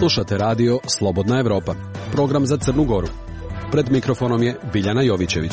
Slušate radio Slobodna Evropa, program za Crnu Goru. Pred mikrofonom je Biljana Jovićević.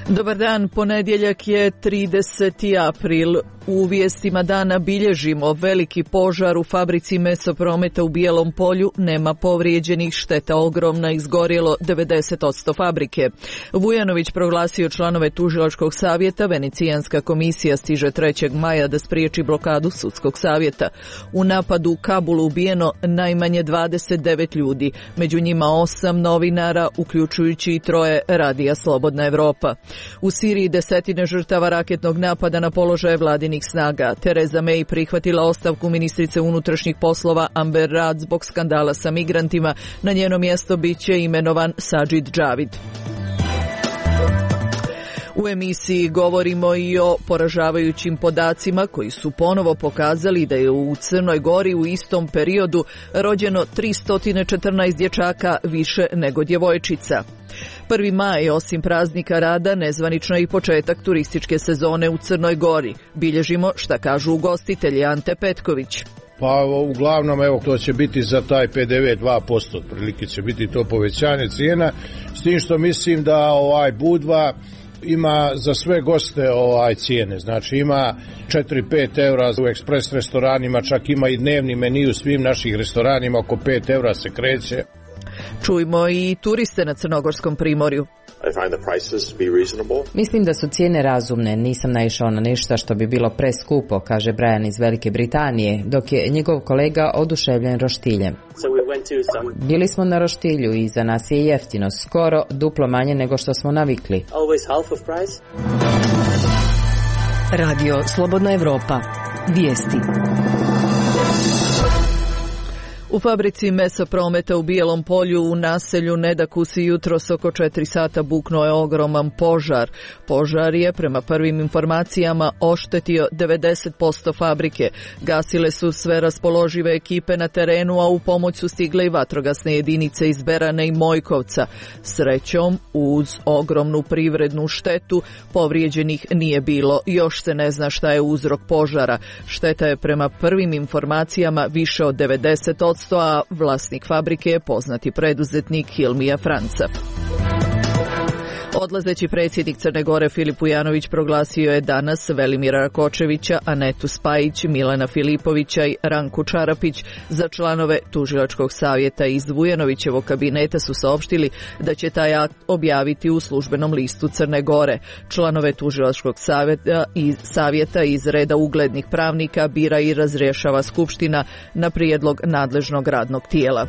Dobar dan, ponedjeljak je 30. april. U vijestima dana bilježimo veliki požar u fabrici Mesoprometa u Bijelom Polju, nema povrijeđenih, šteta ogromna, izgorjelo 90% fabrike. Vujanović proglasio članove tužilačkog savjeta, Venecijanska komisija stiže 3. maja da spriječi blokadu sudskog savjeta. U napadu u Kabulu ubijeno najmanje 29 ljudi, među njima 8 novinara, uključujući i 3 radija Slobodna Evropa. U Siriji desetine žrtava raketnog napada na položaje vladinih snaga. Theresa May prihvatila ostavku ministrice unutrašnjih poslova Amber Rudd zbog skandala sa migrantima. Na njeno mjesto biće imenovan Sajid Javid. U emisiji govorimo i o poražavajućim podacima koji su ponovo pokazali da je u Crnoj Gori u istom periodu rođeno 314 dječaka više nego djevojčica. 1. maj, osim praznika rada, nezvanično i početak turističke sezone u Crnoj Gori. Bilježimo šta kažu ugostitelji. Ante Petković. Pa uglavnom, evo, to će biti za taj PDV 2%, otprilike će biti to povećanje cijena, s tim što mislim da Budva ima za sve goste cijene, znači ima 4-5 eura u ekspres restoranima, čak ima i dnevni meni u svim naših restoranima, oko 5 eura se kreće. Čujmo i turiste na Crnogorskom primorju. Mislim da su cijene razumne, nisam naišao na ništa što bi bilo preskupo, kaže Brian iz Velike Britanije, dok je njegov kolega oduševljen roštiljem. Bili smo na roštilju i za nas je jeftino, skoro duplo manje nego što smo navikli. Radio Slobodna Evropa. Vijesti. U fabrici Mesoprometa u Bijelom Polju u naselju Nedakusi jutros oko 4 sata buknuo je ogroman požar. Požar je, prema prvim informacijama, oštetio 90% fabrike. Gasile su sve raspoložive ekipe na terenu, a u pomoć su stigle i vatrogasne jedinice iz Berane i Mojkovca. Srećom, uz ogromnu privrednu štetu, povrijeđenih nije bilo. Još se ne zna šta je uzrok požara. Šteta je prema prvim informacijama više od 90%, a vlasnik fabrike je poznati preduzetnik Hilmija Franca. Odlazeći predsjednik Crne Gore Filip Vujanović proglasio je danas Velimira Rakočevića, Anetu Spajić, Milana Filipovića i Ranku Čarapić za članove tužilačkog savjeta. Iz Vujanovićevog kabineta su saopštili da će taj akt objaviti u službenom listu Crne Gore. Članove tužilačkog savjeta iz reda uglednih pravnika bira i razrješava Skupština na prijedlog nadležnog radnog tijela.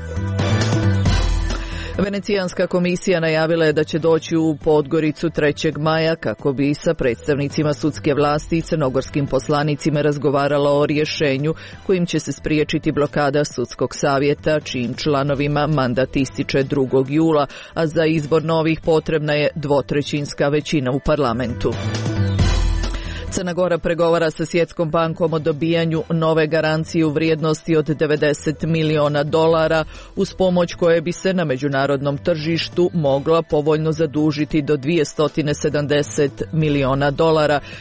Venecijanska komisija najavila je da će doći u Podgoricu 3. maja kako bi sa predstavnicima sudske vlasti i crnogorskim poslanicima razgovarala o rješenju kojim će se spriječiti blokada sudskog savjeta, čijim članovima mandat ističe 2. jula, a za izbor novih potrebna je 2/3 većina u parlamentu. Crna Gora pregovara sa Svjetskom bankom o dobijanju nove garancije u vrijednosti od $90 miliona uz pomoć koje bi se na međunarodnom tržištu mogla povoljno zadužiti do $270 miliona,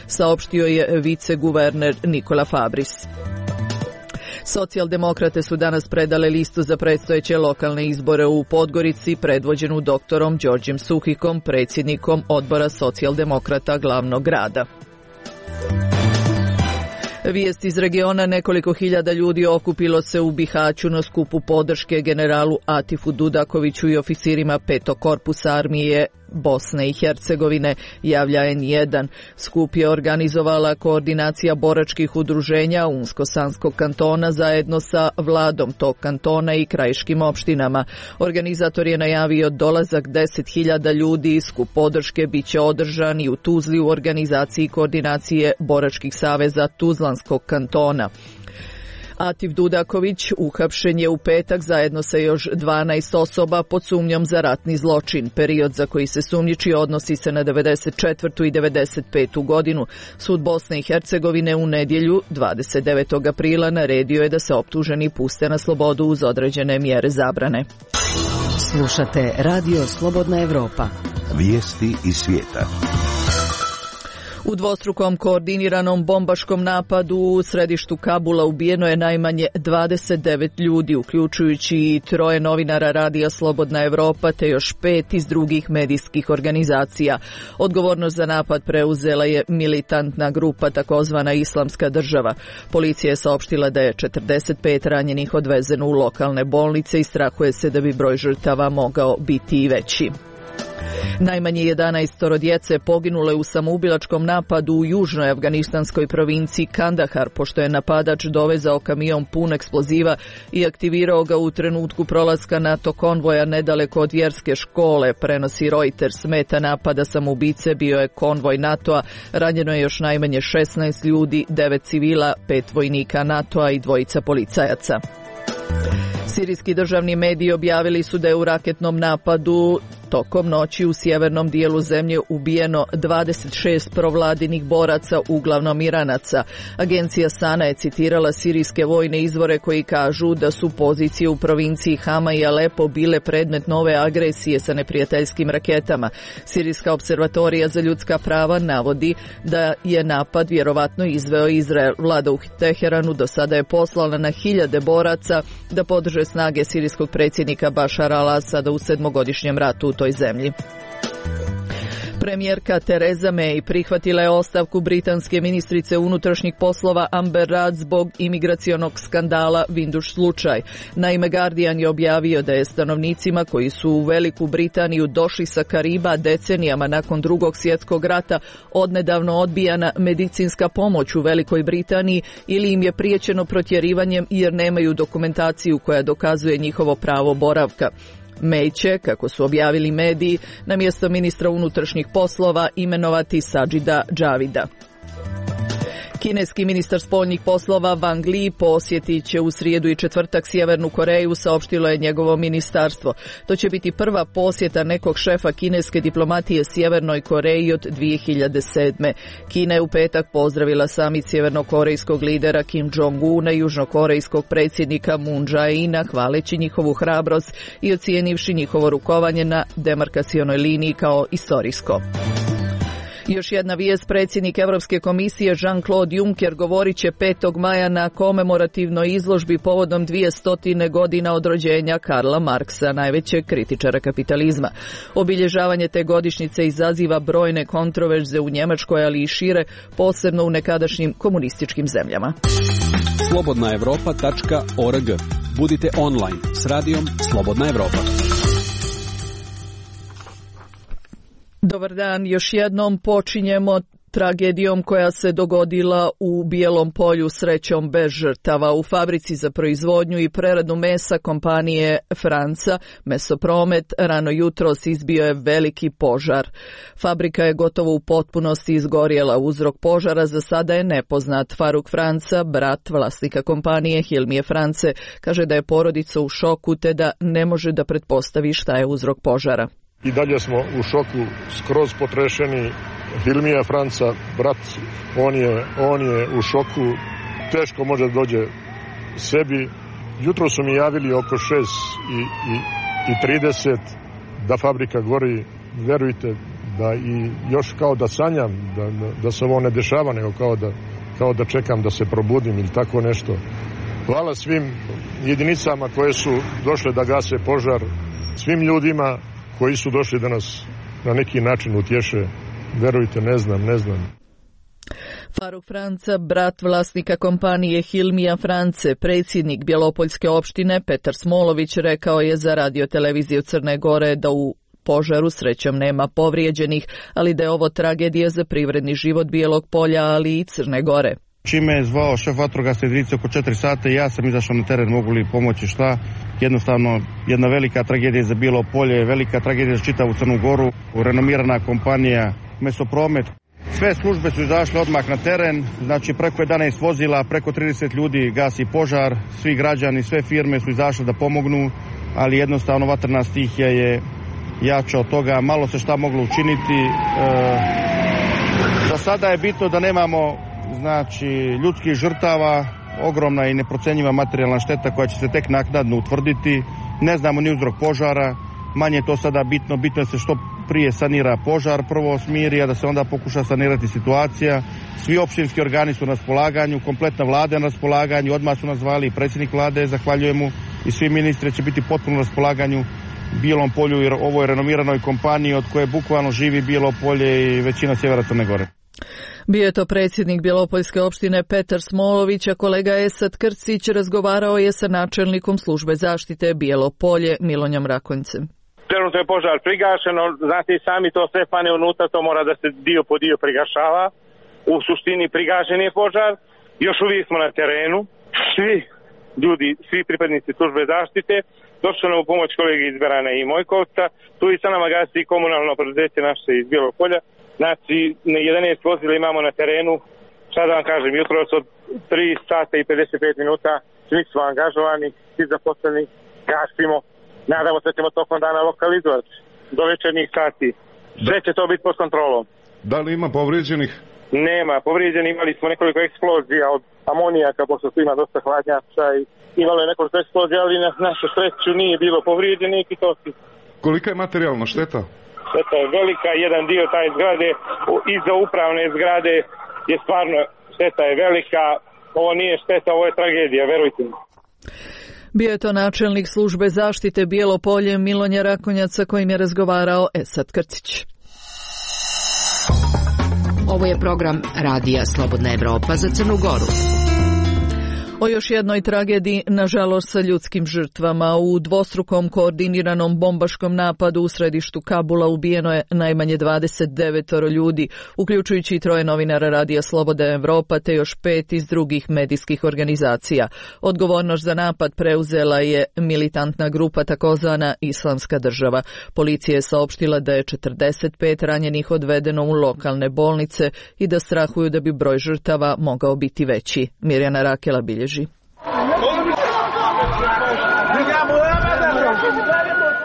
saopštio je viceguverner Nikola Fabris. Socijaldemokrate su danas predale listu za predstojeće lokalne izbore u Podgorici, predvođenu doktorom Đorđem Suhikom, predsjednikom odbora socijaldemokrata glavnog grada. Vijest iz regiona: nekoliko hiljada ljudi okupilo se u Bihaću na skupu podrške generalu Atifu Dudakoviću i oficirima 5. korpusa armije Bosne i Hercegovine, javlja N1. Skup je organizovala koordinacija boračkih udruženja Unsko-Sanskog kantona zajedno sa vladom tog kantona i krajiškim opštinama. Organizator je najavio dolazak 10.000 ljudi. Skup podrške biće održan i u Tuzli u organizaciji koordinacije boračkih saveza Tuzlanskog kantona. Atif Dudaković uhapšen je u petak zajedno sa još 12 osoba pod sumnjom za ratni zločin. Period za koji se sumnjiči odnosi se na 94. i 95. godinu. Sud Bosne i Hercegovine u nedjelju 29. aprila naredio je da se optuženi puste na slobodu uz određene mjere zabrane. Slušate Radio Slobodna Evropa. Vijesti iz svijeta. U dvostrukom koordiniranom bombaškom napadu u središtu Kabula ubijeno je najmanje 29 ljudi, uključujući i 3 novinara radija Slobodna Evropa te još 5 iz drugih medijskih organizacija. Odgovornost za napad preuzela je militantna grupa takozvana Islamska država. Policija je saopštila da je 45 ranjenih odvezeno u lokalne bolnice i strahuje se da bi broj žrtava mogao biti i veći. Najmanje 11 djece poginule u samoubilačkom napadu u južnoj afganistanskoj provinciji Kandahar, pošto je napadač dovezao kamion pun eksploziva i aktivirao ga u trenutku prolaska NATO konvoja nedaleko od vjerske škole, prenosi Reuters. Meta napada samoubice bio je konvoj NATO-a, ranjeno je još najmanje 16 ljudi, 9 civila, 5 vojnika NATO-a i 2 policajaca. Sirijski državni mediji objavili su da je u raketnom napadu tokom noći u sjevernom dijelu zemlje ubijeno 26 provladinih boraca, uglavnom Iranaca. Agencija Sana je citirala sirijske vojne izvore koji kažu da su pozicije u provinciji Hama i Alepo bile predmet nove agresije sa neprijateljskim raketama. Sirijska observatorija za ljudska prava navodi da je napad vjerovatno izveo Izrael. Vlada u Teheranu do sada je poslala na hiljade boraca da podrže snage sirijskog predsjednika Bašara al-Asada u 7-godišnjem ratu u toj zemlji. Premijerka Theresa May prihvatila je ostavku britanske ministrice unutrašnjih poslova Amber Rudd zbog imigracionog skandala Windrush slučaj. Naime, Guardian je objavio da je stanovnicima koji su u Veliku Britaniju došli sa Kariba decenijama nakon Drugog svjetskog rata odnedavno odbijana medicinska pomoć u Velikoj Britaniji ili im je priječeno protjerivanjem jer nemaju dokumentaciju koja dokazuje njihovo pravo boravka. May će, kako su objavili mediji, na mjesto ministra unutrašnjih poslova imenovati Sajida Javida. Kineski ministar spoljnih poslova Wang Li posjetit će u srijedu i četvrtak Sjevernu Koreju, saopštilo je njegovo ministarstvo. To će biti prva posjeta nekog šefa kineske diplomatije Sjevernoj Koreji od 2007. Kina je u petak pozdravila samit sjevernokorejskog lidera Kim Jong-una i južnokorejskog predsjednika Moon Jae-ina, hvaleći njihovu hrabrost i ocijenivši njihovo rukovanje na demarkacionoj liniji kao istorijsko. Još jedna vijest, predsjednik Europske komisije Jean-Claude Juncker govorit će 5. maja na komemorativnoj izložbi povodom 200 godina od rođenja Karla Marksa, najvećeg kritičara kapitalizma. Obilježavanje te godišnjice izaziva brojne kontroverze u Njemačkoj, ali i šire, posebno u nekadašnjim komunističkim zemljama. slobodnaevropa.org. Budite online s radijom Slobodna Evropa. Dobar dan, još jednom počinjemo tragedijom koja se dogodila u Bijelom Polju, srećom bez žrtava. U fabrici za proizvodnju i preradu mesa kompanije Franca Mesopromet rano jutros izbio je veliki požar. Fabrika je gotovo u potpunosti izgorjela. Uzrok požara za sada je nepoznat. Faruk Franca, brat vlasnika kompanije Hilmije France, kaže da je porodica u šoku te da ne može da pretpostavi šta je uzrok požara. I dalje smo u šoku, skroz potrešeni. Hilmija Franca, brat, on je u šoku, teško može da dođe sebi. Jutro su mi javili oko 6:30 da fabrika gori. Verujte da i još kao da sanjam, da se ovo ne dešava, nego kao da čekam da se probudim ili tako nešto. Hvala svim jedinicama koje su došle da gase požar, svim ljudima koji su došli da nas na neki način utješe. Verujte, ne znam. Faruk Franca, brat vlasnika kompanije Hilmija France, predsjednik Bjelopoljske opštine Petar Smolović, rekao je za radio-televiziju Crne Gore da u požaru srećom nema povrijeđenih, ali da je ovo tragedija za privredni život Bijelog Polja, ali i Crne Gore. Čime je zvao šef vatrogasne jedinice oko 4 sata i ja sam izašao na teren, mogu li pomoći šta. Jednostavno, jedna velika tragedija za Bijelo Polje, velika tragedija za čitavu Crnu Goru. Renomirana kompanija Mesopromet. Sve službe su izašle odmah na teren, znači preko 11 vozila, preko 30 ljudi gasi požar, svi građani, sve firme su izašle da pomognu, ali jednostavno vatrena stihija je jača od toga, malo se šta moglo učiniti. Za sada je bitno da nemamo ljudskih žrtava, ogromna i neprocenjiva materijalna šteta koja će se tek naknadno utvrditi. Ne znamo ni uzrok požara, manje je to sada bitno, bitno je se što prije sanira požar, prvo smiri, a da se onda pokuša sanirati situacija. Svi općinski organi su na raspolaganju, kompletna vlada na raspolaganju, odmah su nas zvali i predsjednik vlade, zahvaljujemo, i svi ministri će biti potpuno na raspolaganju Bijelom Polju, jer ovo je renomiranoj kompaniji od koje bukvalno živi Bijelo Polje i većina sjevera Crne Gore. Bio je to predsjednik Bjelopoljske opštine Petar Smolović, a kolega Esad Krcić razgovarao je sa načelnikom službe zaštite Bijelo Polje Milonjom Rakonjcem. Trenutno je požar prigašeno, znate i sami, to sve pane unutra, to mora da se dio po dio prigašava. U suštini prigašen je požar, još uvijek smo na terenu, svi ljudi, svi pripadnici službe zaštite, došli nam u pomoć kolege iz Berana i Mojkovca, tu i sa nama gasi i komunalno preduzeće naše iz Bijelog Polja. Znači, 11 vozila imamo na terenu, sad vam kažem, jutros od 3 sata i 55 minuta, svi smo angažovani, svi zaposleni, gasimo, nadamo se da ćemo tokom dana lokalizovati do večernjih sati. Sve će to biti pod kontrolom. Da li ima povrijeđenih? Nema, povrijeđeni, imali smo nekoliko eksplozija od amonijaka, pošto tu ima dosta hladnjača i imalo je nekoliko eksplozija, ali na našu sreću nije bilo povrijeđenih i to si. Kolika je materijalna šteta? Šteta je velika, jedan dio taj zgrade, iza upravne zgrade je stvarno, šteta je velika, ovo nije šteta, ovo je tragedija, verujte mi. Bio je to načelnik službe zaštite Bijelo Polje Milonja Rakonjaca kojim je razgovarao Esad Krcić. Ovo je program Radija Slobodna Evropa za Crnu Goru. O još jednoj tragediji, nažalost sa ljudskim žrtvama. U dvostrukom koordiniranom bombaškom napadu u središtu Kabula ubijeno je najmanje 29 ljudi, uključujući i 3 novinara Radija Slobodna Evropa te još 5 iz drugih medijskih organizacija. Odgovornost za napad preuzela je militantna grupa takozvana Islamska država. Policija je saopštila da je 45 ranjenih odvedeno u lokalne bolnice i da strahuju da bi broj žrtava mogao biti veći. Mirjana Rakela bilježi.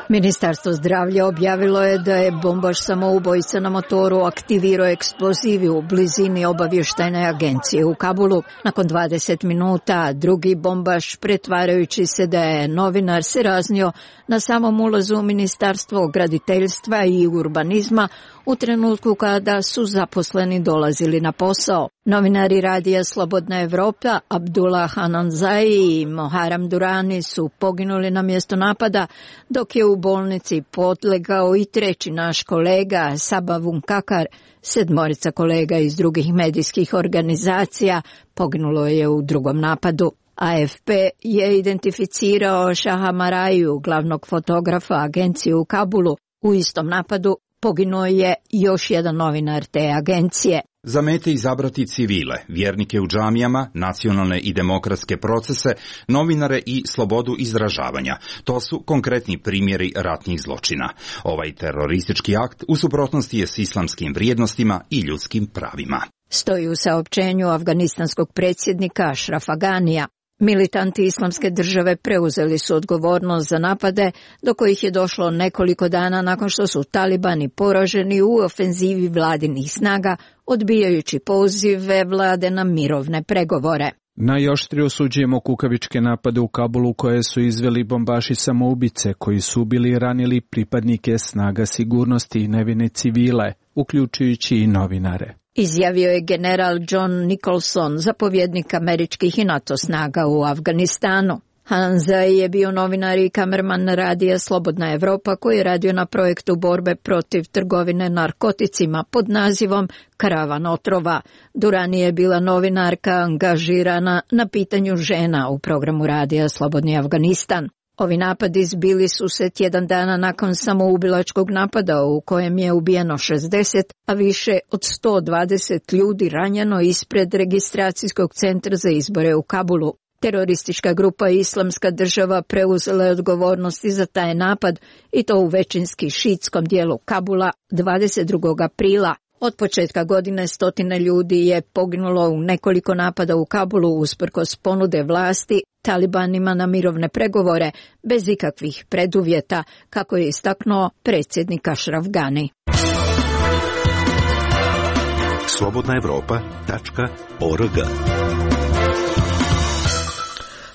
Ministarstvo zdravlja objavilo je da je bombaš samoubojica na motoru aktivirao eksplozivi u blizini obavještajne agencije u Kabulu. Nakon 20 minuta drugi bombaš, pretvarajući se da je novinar, se raznio na samom ulazu u Ministarstvo graditeljstva i urbanizma u trenutku kada su zaposleni dolazili na posao. Novinari Radija Slobodna Evropa Abdullah Hananzai i Moharam Durani su poginuli na mjesto napada, dok je u bolnici podlegao i 3. naš kolega Sabavun Kakar. 7 kolega iz drugih medijskih organizacija poginulo je u drugom napadu. AFP je identificirao Šaha Maraju, glavnog fotografa agencije u Kabulu. U istom napadu poginuo je još jedan novinar te agencije. Za mete izabrati civile, vjernike u džamijama, nacionalne i demokratske procese, novinare i slobodu izražavanja. To su konkretni primjeri ratnih zločina. Ovaj teroristički akt u suprotnosti je s islamskim vrijednostima i ljudskim pravima. Stoji u saopćenju afganistanskog predsjednika Ašrafa Ganija. Militanti Islamske države preuzeli su odgovornost za napade, do kojih je došlo nekoliko dana nakon što su talibani poraženi u ofenzivi vladinih snaga, odbijajući pozive vlade na mirovne pregovore. Najoštrije osuđujemo kukavičke napade u Kabulu koje su izveli bombaši samoubice koji su ubili i ranili pripadnike snaga sigurnosti i nevine civile, uključujući i novinare. Izjavio je general John Nicholson, zapovjednik američkih i NATO snaga u Afganistanu. Hanzai je bio novinar i kamerman Radija Slobodna Evropa koji je radio na projektu borbe protiv trgovine narkoticima pod nazivom Karavan otrova. Durani je bila novinarka angažirana na pitanju žena u programu Radija Slobodni Afganistan. Ovi napadi zbili su se tjedan dana nakon samoubilačkog napada u kojem je ubijeno 60, a više od 120 ljudi ranjeno ispred registracijskog centra za izbore u Kabulu. Teroristička grupa Islamska država preuzela je odgovornosti za taj napad i to u većinski šiitskom dijelu Kabula 22. aprila. Od početka godine 100 ljudi je poginulo u nekoliko napada u Kabulu usprkos ponude vlasti talibanima na mirovne pregovore bez ikakvih preduvjeta, kako je istaknuo predsjednik Ašraf Gani. slobodnaevropa.org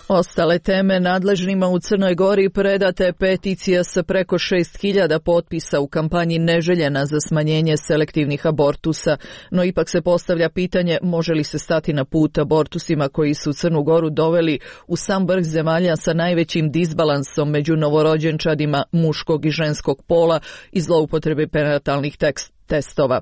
Ostale teme: nadležnima u Crnoj Gori predata je peticija sa preko 6.000 potpisa u kampanji neželjena za smanjenje selektivnih abortusa, no ipak se postavlja pitanje može li se stati na put abortusima koji su Crnu Goru doveli u sam vrh zemalja sa najvećim disbalansom među novorođenčadima muškog i ženskog pola i zloupotrebe prenatalnih testova.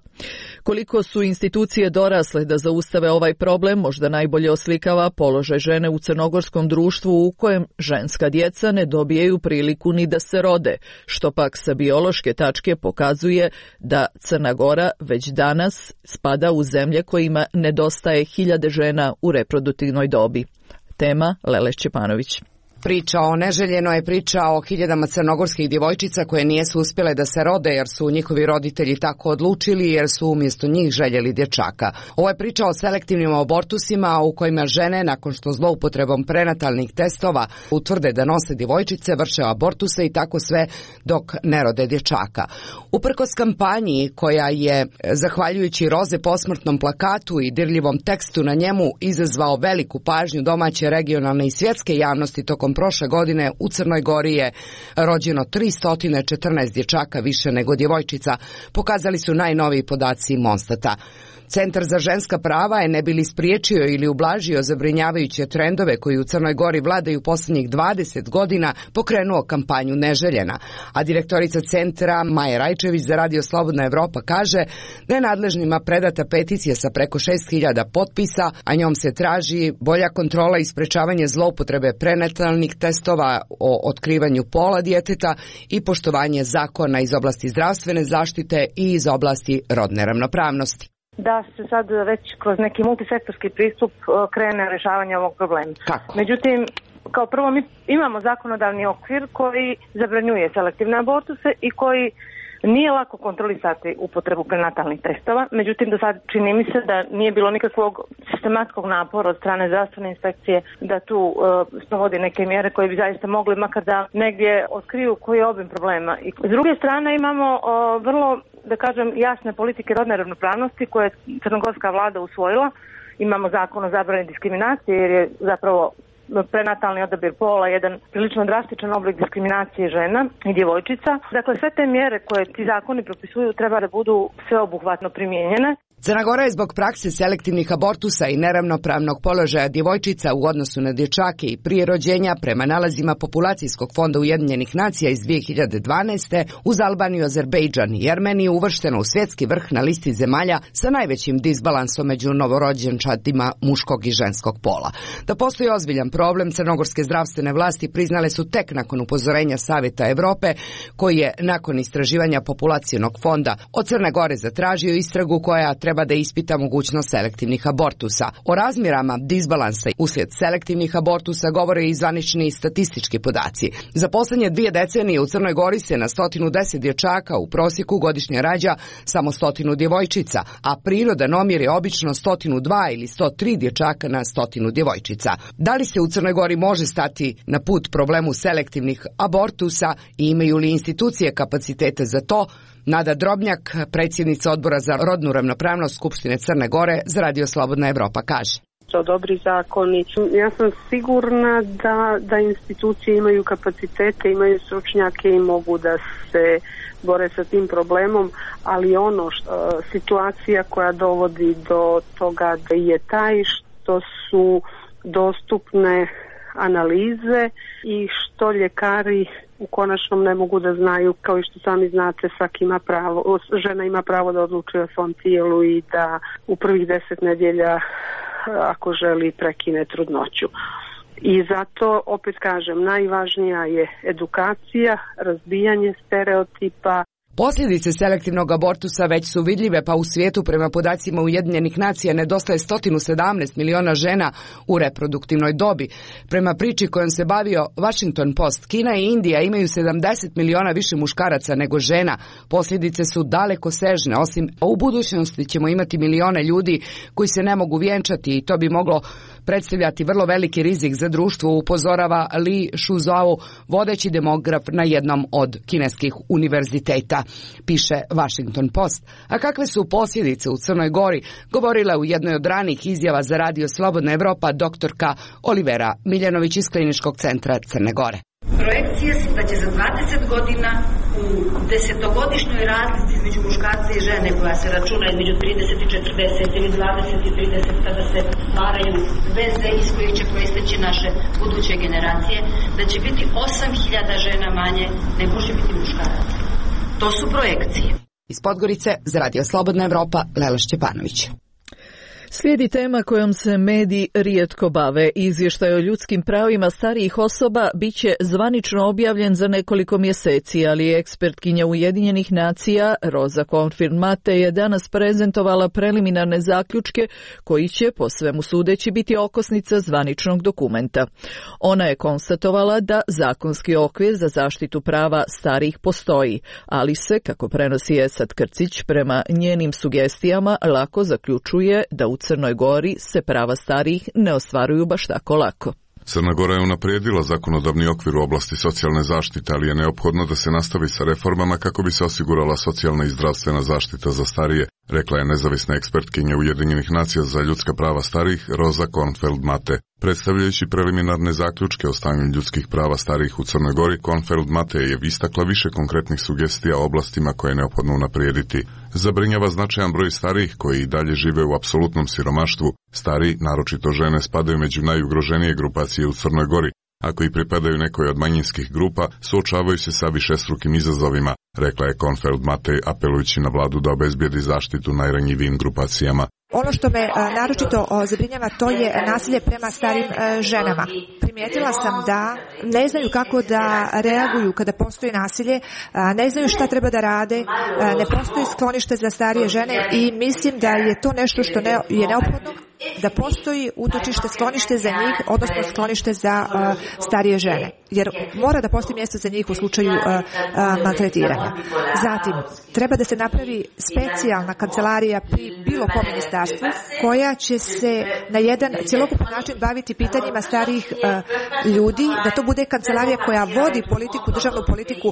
Koliko su institucije dorasle da zaustave ovaj problem možda najbolje oslikava položaj žene u crnogorskom društvu u kojem ženska djeca ne dobijaju priliku ni da se rode, što pak sa biološke tačke pokazuje da Crna Gora već danas spada u zemlje kojima nedostaje 1000 žena u reproduktivnoj dobi. Tema Lele Šćepanović. Priča o neželjenoj je priča o 1000 crnogorskih djevojčica koje nijesu uspjele da se rode jer su njihovi roditelji tako odlučili jer su umjesto njih željeli dječaka. Ovo je priča o selektivnim abortusima u kojima žene nakon što zloupotrebom prenatalnih testova utvrde da nose djevojčice vrše abortuse i tako sve dok ne rode dječaka. Uprkos kampanji koja je zahvaljujući roze posmrtnom plakatu i dirljivom tekstu na njemu izazvao veliku pažnju domaće, regionalne i svjetske javnosti tokom prošle godine u Crnoj Gori je rođeno 314 dječaka više nego djevojčica, pokazali su najnoviji podaci Monstata. Centar za ženska prava je ne bi li spriječio ili ublažio zabrinjavajuće trendove koji u Crnoj Gori vladaju posljednjih 20 godina pokrenuo kampanju Neželjena, a direktorica centra Maja Rajčević za Radio Slobodna Evropa kaže da je nadležnima predata peticija sa preko 6.000 potpisa, a njom se traži bolja kontrola i sprečavanje zloupotrebe prenatalnih testova o otkrivanju pola djeteta i poštovanje zakona iz oblasti zdravstvene zaštite i iz oblasti rodne ravnopravnosti. Da se sad već kroz neki multisektorski pristup krene rješavanje ovog problema. Kako? Međutim, kao prvo mi imamo zakonodavni okvir koji zabranjuje selektivne abortuse i koji nije lako kontrolisati upotrebu prenatalnih testova. Međutim, do sad čini mi se da nije bilo nikakvog sistematskog napora od strane zdravstvene inspekcije da tu sprovodi neke mjere koje bi zaista mogli makar da negdje otkriju koji je obim problema. I s druge strane imamo vrlo, da kažem, jasne politike rodne ravnopravnosti koje je crnogorska vlada usvojila. Imamo zakon o zabrani diskriminacije jer je zapravo prenatalni odabir pola jedan prilično drastičan oblik diskriminacije žena i djevojčica. Dakle, sve te mjere koje ti zakoni propisuju treba da budu sveobuhvatno primijenjene. Crna Gora je zbog prakse selektivnih abortusa i neravnopravnog položaja djevojčica u odnosu na dječake i prije rođenja prema nalazima Populacijskog fonda Ujedinjenih nacija iz 2012. uz Albaniju, Azerbejdžan i Armeniju uvršteno u svjetski vrh na listi zemalja sa najvećim disbalansom među novorođenčadima muškog i ženskog pola. Da postoji ozbiljan problem, crnogorske zdravstvene vlasti priznale su tek nakon upozorenja Savjeta Europe, koji je nakon istraživanja Populacijnog fonda od Crne Gore zatražio istragu koja treba da ispita mogućnost selektivnih abortusa. O razmjerama disbalansa uslijed selektivnih abortusa govore i zvanični statistički podaci. Za posljednje 2 decenije u Crnoj Gori se na 110 dječaka u prosjeku godišnje rađa samo 100 djevojčica, a prirodan omjer je obično 102 ili 103 dječaka na 100 djevojčica. Da li se u Crnoj Gori može stati na put problemu selektivnih abortusa i imaju li institucije kapacitete za to? Nada Drobnjak, predsjednica Odbora za rodnu ravnopravnost Skupštine Crne Gore, za Radio Slobodna Evropa kaže. To dobri zakoni. Ja sam sigurna da institucije imaju kapacitete, imaju stručnjake i mogu da se bore sa tim problemom, ali situacija koja dovodi do toga da je taj što su dostupne analize i što ljekari u konačnom ne mogu da znaju, kao i što sami znate, žena ima pravo da odlučuje o svom tijelu i da u prvih 10 nedjelja, ako želi, prekine trudnoću. I zato, opet kažem, najvažnija je edukacija, razbijanje stereotipa. Posljedice selektivnog abortusa već su vidljive, pa u svijetu prema podacima Ujedinjenih nacija nedostaje 117 miliona žena u reproduktivnoj dobi. Prema priči kojom se bavio Washington Post, Kina i Indija imaju 70 miliona više muškaraca nego žena. Posljedice su daleko sežne, osim u budućnosti ćemo imati milione ljudi koji se ne mogu vjenčati i to bi moglo predstavljati vrlo veliki rizik za društvo, upozorava Li Shuzhou, vodeći demograf na jednom od kineskih univerziteta, piše Washington Post. A kakve su posljedice u Crnoj Gori, govorila u jednoj od ranih izjava za Radio Slobodna Evropa doktorka Olivera Miljanović iz Kliničkog centra Crne Gore. Projekcije su da će za 20 godina u 10-godišnjoj razlici između muškarca i žene, koja se računa između 30 i 40 ili 20 i 30, kada se stvaraju veze iz kojih će proisteći naše buduće generacije, da će biti 8.000 žena manje nego će biti muškaraca. To su projekcije. Iz Podgorice za Radio Slobodna Evropa, Lela Šćepanović. Slijedi tema kojom se mediji rijetko bave. Izvještaj o ljudskim pravima starijih osoba bit će zvanično objavljen za nekoliko mjeseci, ali ekspertkinja Ujedinjenih nacija Rosa Confirmate je danas prezentovala preliminarne zaključke koji će, po svemu sudeći, biti okosnica zvaničnog dokumenta. Ona je konstatovala da zakonski okvir za zaštitu prava starijih postoji, ali se, kako prenosi Esad Krcić, prema njenim sugestijama lako zaključuje da u Crnoj Gori se prava starijih ne ostvaruju baš tako lako. Crna Gora je unaprijedila zakonodavni okvir u oblasti socijalne zaštite, ali je neophodno da se nastavi sa reformama kako bi se osigurala socijalna i zdravstvena zaštita za starije, rekla je nezavisna ekspertkinja Ujedinjenih nacija za ljudska prava starijih Rosa Confirmate. Predstavljajući preliminarne zaključke o stanju ljudskih prava starijih u Crnoj Gori, Confirmate je istakla više konkretnih sugestija o oblastima koje je neophodno unaprijediti. Zabrinjava značajan broj starijih koji i dalje žive u apsolutnom siromaštvu. Stariji, naročito žene, spadaju među najugroženije grupacije u Crnoj Gori. Ako i pripadaju nekoj od manjinskih grupa, suočavaju se sa višestrukim izazovima, rekla je Confirmate, apelujući na vladu da obezbijedi zaštitu najranjivijim grupacijama. Ono što me naročito zabrinjava, to je nasilje prema starim ženama. Primijetila sam da ne znaju kako da reaguju kada postoji nasilje, ne znaju šta treba da rade, ne postoji sklonište za starije žene i mislim da je to nešto što je neophodno, da postoji utočište, sklonište za njih, odnosno sklonište za starije žene. Jer mora da postoji mjesto za njih u slučaju maltretiranja. Zatim, treba da se napravi specijalna kancelarija pri bilo kom ministarstvu koja će se na jedan cjelokupan način baviti pitanjima starijih ljudi, da to bude kancelarija koja vodi politiku, državnu politiku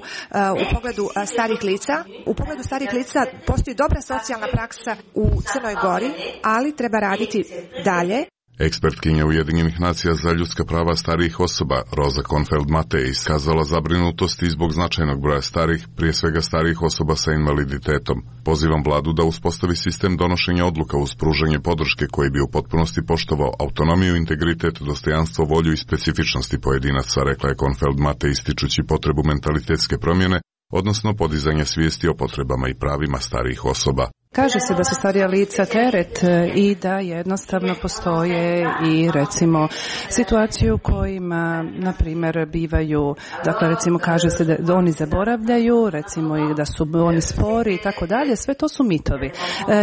u pogledu starih lica. U pogledu starih lica postoji dobra socijalna praksa u Crnoj Gori, ali treba raditi dalje. Ekspertkinja Ujedinjenih nacija za ljudska prava starijih osoba Rosa Confirmate je iskazala zabrinutost i zbog značajnog broja starih, prije svega starijih osoba sa invaliditetom. Pozivam vladu da uspostavi sistem donošenja odluka uz pružanje podrške koji bi u potpunosti poštovao autonomiju, integritet, dostojanstvo, volju i specifičnosti pojedinaca, rekla je Confirmate, ističući potrebu mentalitetske promjene, odnosno podizanje svijesti o potrebama i pravima starijih osoba. Kaže se da su starija lica teret i da jednostavno postoje i recimo situacije u kojima, na primjer, bivaju, dakle recimo kaže se da oni zaboravljaju, recimo i da su oni spori i tako dalje, sve to su mitovi.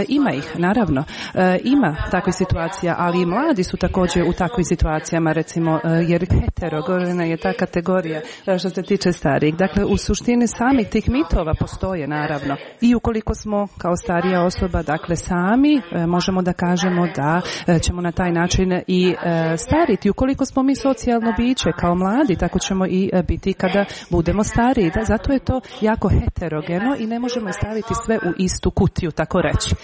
Ima ih, naravno, ima takvih situacija, ali i mladi su također u takvim situacijama, recimo, jer heterogorena je ta kategorija što se tiče starijih. Dakle, u suštini samih tih mitova postoje, naravno. I ukoliko smo kao starija osoba, dakle sami možemo da kažemo da ćemo na taj način i stariti. Ukoliko smo mi socijalno biće kao mladi, tako ćemo i biti kada budemo stariji. Zato je to jako heterogeno i ne možemo staviti sve u istu kutiju, tako reći.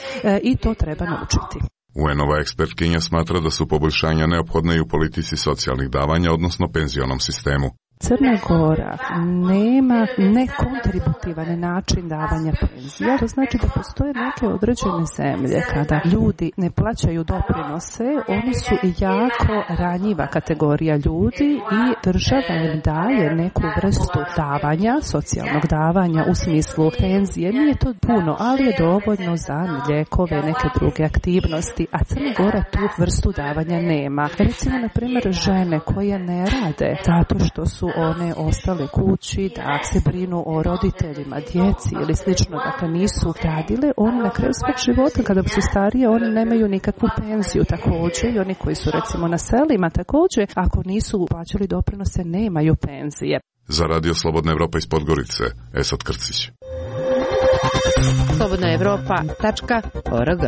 I to treba naučiti. UN-ova ekspertkinja smatra da su poboljšanja neophodne i u politici socijalnih davanja, odnosno penzionom sistemu. Crna Gora nema nekontributivan način davanja penzija, to znači da postoje neke određene zemlje kada ljudi ne plaćaju doprinose, oni su jako ranjiva kategorija ljudi i država im daje neku vrstu davanja, socijalnog davanja u smislu penzije. Nije to puno, ali je dovoljno za lijekove, neke druge aktivnosti, a Crna Gora tu vrstu davanja nema. Recimo, na primjer, žene koje ne rade zato što su one ostale kući, da se brinu o roditeljima, djeci ili slično, dakle nisu radile, oni na kraju svog života, kada su starije, oni nemaju nikakvu penziju. Također i oni koji su recimo na selima, također ako nisu plaćali doprinose, nemaju penzije. Za Radio Slobodna Evropa iz Podgorice, Esad Krcić. Slobodna Evropa.org.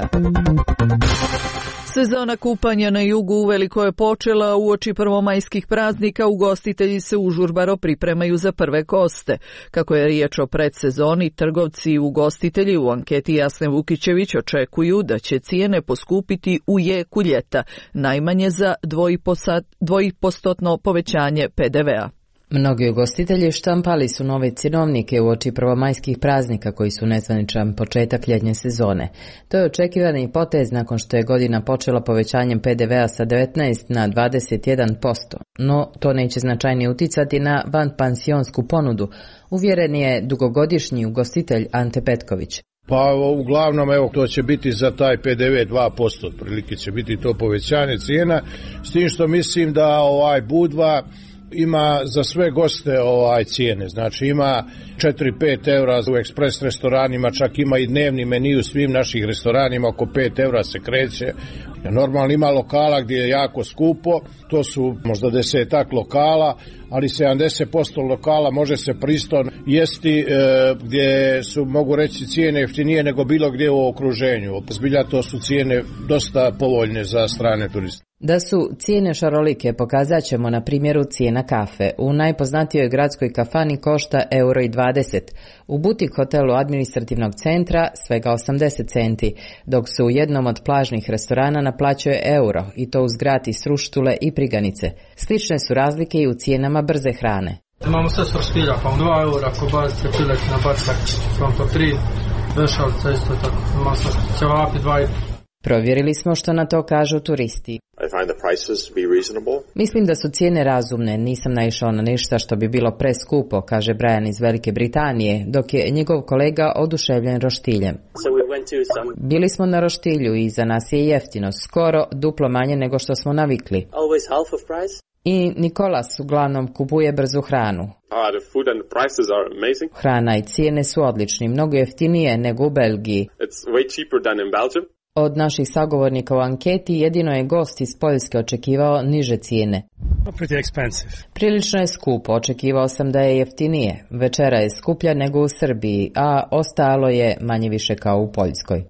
Sezona kupanja na jugu uveliko je počela. Uoči prvomajskih praznika ugostitelji se užurbaro pripremaju za prve goste. Kako je riječ o predsezoni, trgovci i ugostitelji u anketi Jasne Vukićević očekuju da će cijene poskupiti u jeku ljeta, najmanje za 2% povećanje PDV-a. Mnogi ugostitelji štampali su nove cjenovnike uoči prvomajskih praznika koji su nezvaničan početak ljetnje sezone. To je očekivani potez nakon što je godina počela povećanjem PDV-a sa 19 na 21%, no to neće značajnije uticati na vanpansionsku ponudu, uvjeren je dugogodišnji ugostitelj Ante Petković. Pa uglavnom to će biti za taj PDV 2%, otprilike će biti to povećanje cijena, s tim što mislim da Budva ima za sve goste cijene, znači ima 4-5 eura u ekspres restoranima, čak ima i dnevni meni u svim naših restoranima, oko 5 eura se kreće. Normalno ima lokala gdje je jako skupo, to su možda 10-ak lokala, ali 70% lokala može se pristojno jesti gdje su, mogu reći, cijene jeftinije nego bilo gdje u okruženju. Zbilja to su cijene dosta povoljne za strane turiste. Da su cijene šarolike pokazat ćemo na primjeru cijena kafe. U najpoznatijoj gradskoj kafani košta €1,20. U butik hotelu administrativnog centra svega 80 centi, dok se u jednom od plažnih restorana naplaćuje euro, i to uz gratis ruštule i priganice. Slične su razlike i u cijenama brze hrane. Imamo sve svrštilja, pa 2 eura, kobasice, piletina, bacak, fronto 3, vešalica isto tako, masno, ćevapi 2,5. Provjerili smo što na to kažu turisti. Mislim da su cijene razumne, nisam naišao na ništa što bi bilo preskupo, kaže Brian iz Velike Britanije, dok je njegov kolega oduševljen roštiljem. Bili smo na roštilju i za nas je jeftino, skoro duplo manje nego što smo navikli. I Nikolas uglavnom kupuje brzu hranu. Hrana i cijene su odlični, mnogo jeftinije nego u Belgiji. Od naših sagovornika u anketi jedino je gost iz Poljske očekivao niže cijene. Prilično je skupo, očekivao sam da je jeftinije. Večera je skuplja nego u Srbiji, a ostalo je manje više kao u Poljskoj.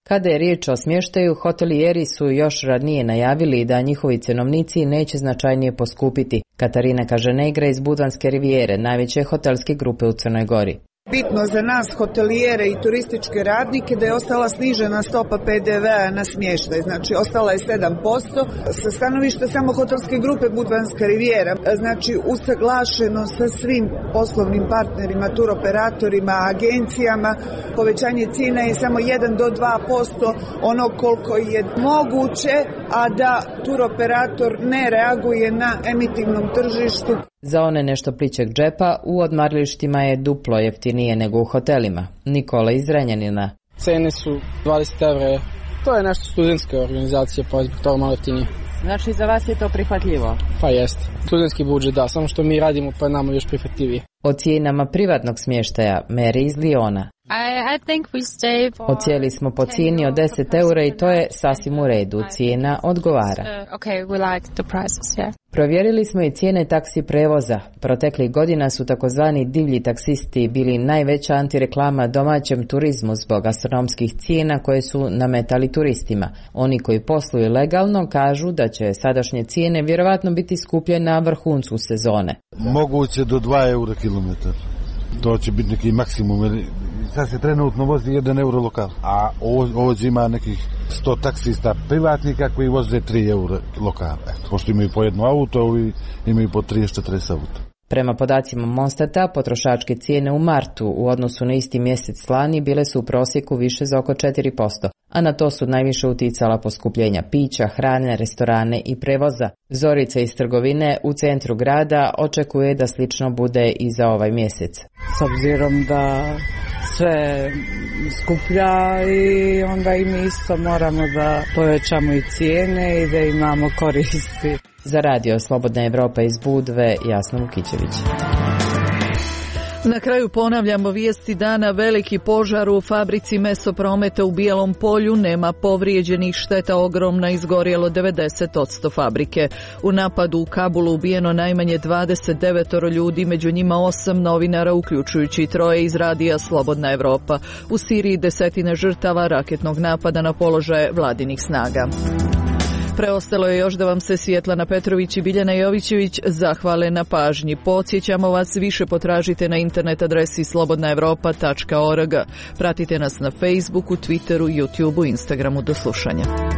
Kada je riječ o smještaju, hotelijeri su još ranije najavili da njihovi cenovnici neće značajnije poskupiti. Katarina Kaženegra iz Budvanske rivijere, najveće hotelske grupe u Crnoj Gori. Bitno za nas hotelijere i turističke radnike da je ostala snižena stopa PDV-a na smještaj, znači ostala je 7%. Sa stanovišta samo hotelske grupe Budvanska rivijera, znači usaglašeno sa svim poslovnim partnerima, turoperatorima, agencijama, povećanje cijena je samo 1 do 2%, ono koliko je moguće, a da turoperator ne reaguje na emitivnom tržištu. Za one nešto plićeg džepa, u odmaralištima je duplo jeftinije nego u hotelima. Nikola iz Renjanina. Cene su 20 evra. To je nešto studentske organizacije, pa je zbog toga malo jeftinije. Znači za vas je to prihvatljivo? Pa jeste. Studentski budžet, da, samo što mi radimo pa nama još prihvatljivije. O cijenama privatnog smještaja, Mary iz Liona. Ocijeli smo po cijeni od 10 eura i to je sasvim u redu. Cijena odgovara. Provjerili smo i cijene taksi prevoza. Proteklih godina su takozvani divlji taksisti bili najveća antireklama domaćem turizmu zbog astronomskih cijena koje su nametali turistima. Oni koji posluju legalno kažu da će sadašnje cijene vjerovatno biti skuplje na vrhuncu sezone. Moguće do 2 eura kilometar. To će biti neki maksimum. Sad se trenutno vozi 1 euro lokal, a ovdje ima nekih 100 taksista privatnika koji voze 3 eura lokal. Pošto imaju po jedno auto, ovi imaju po 30-40 auto. Prema podacima Monstata, potrošačke cijene u martu u odnosu na isti mjesec lani bile su u prosjeku više za oko 4%, a na to su najviše uticala poskupljenja pića, hrane, restorane i prevoza. Zorica iz trgovine u centru grada očekuje da slično bude i za ovaj mjesec. S obzirom da sve skuplja i onda i mi isto moramo da povećamo i cijene i da imamo koristi. Za radio Slobodna Evropa iz Budve, Jasna Vukićević. Na kraju ponavljamo vijesti dana. Veliki požar u fabrici Mesoprometa u Bijelom Polju, nema povrijeđenih, šteta ogromna, izgorjelo 90% fabrike. U napadu u Kabulu ubijeno najmanje 29 ljudi, među njima 8 novinara, uključujući 3 iz radija Slobodna Evropa. U Siriji 10 žrtava raketnog napada na položaje vladinih snaga. Preostalo je još da vam se Svjetlana Petrović i Biljana Jovićević zahvale na pažnji. Podsjećamo vas, više potražite na internet adresi slobodnaevropa.org. Pratite nas na Facebooku, Twitteru, YouTubeu, Instagramu. Do slušanja.